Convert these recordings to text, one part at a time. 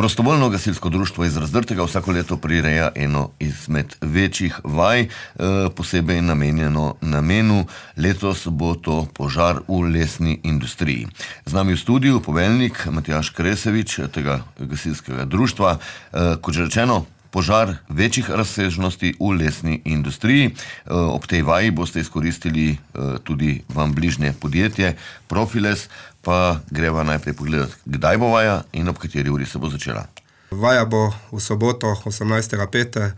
Prostovoljno gasilsko društvo iz Razdrtega vsako leto prireja eno izmed večjih vaj, posebej namenjeno namenu. Letos bo to požar v lesni industriji. Z nami v studiu poveljnik Matjaž Kresevič tega gasilskega društva. Kot že rečeno, požar večjih razsežnosti v lesni industriji. Ob tej vaji boste izkoristili tudi vam bližnje podjetje Profiles, pa greva najprej pogledati, kdaj bo vaja in ob kateri uri se bo začela. Vaja bo v soboto 18.5.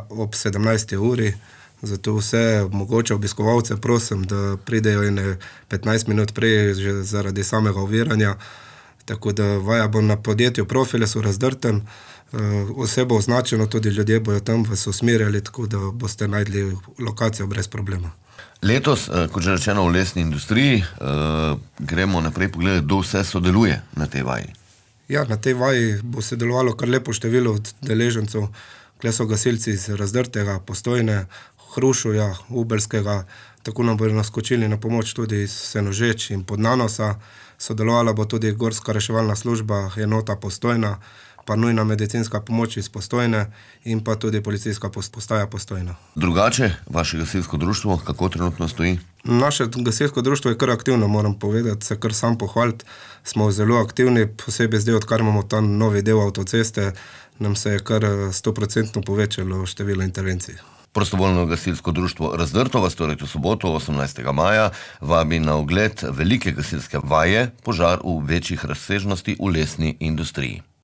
ob 17. uri, zato vse mogoče obiskovalce prosim, da pridejo 15 minut prej že zaradi samega oviranja. Tako da vaja bo na podjetju Profiles v Razdrtem. Vse bo označeno, tudi ljudje bojo tam vas usmerjali, tako da boste najdli lokacijo brez problema. Letos, kot že rečeno, v lesni industriji, gremo naprej pogledati, kdo vse sodeluje na tej vaji. Ja, na tej vaji bo sodelovalo kar lepo število udeležencev. Kle so gasilci iz Razdrtega, Postojne, Hrušuja, Ubelskega, tako nam bodo naskočili na pomoč tudi iz Senožeč in Podnanosa. Sodelovala bo tudi Gorska reševalna služba, enota Postojna, pa nujna medicinska pomoč iz Postojne in pa tudi policijska postaja Postojna. Drugače, vaše gasilsko društvo, kako trenutno stoji? Naše gasilsko društvo je kar aktivno, moram povedati, se kar sam pohvaliti. Smo zelo aktivni, posebej zdaj, odkar imamo tam novi del avtoceste, nam se je kar 100% povečalo število intervencij. Prostovoljno gasilsko društvo Razdrto vas torej v soboto 18. maja vabi na ogled velike gasilske vaje, požar v večjih razsežnosti v lesni industriji.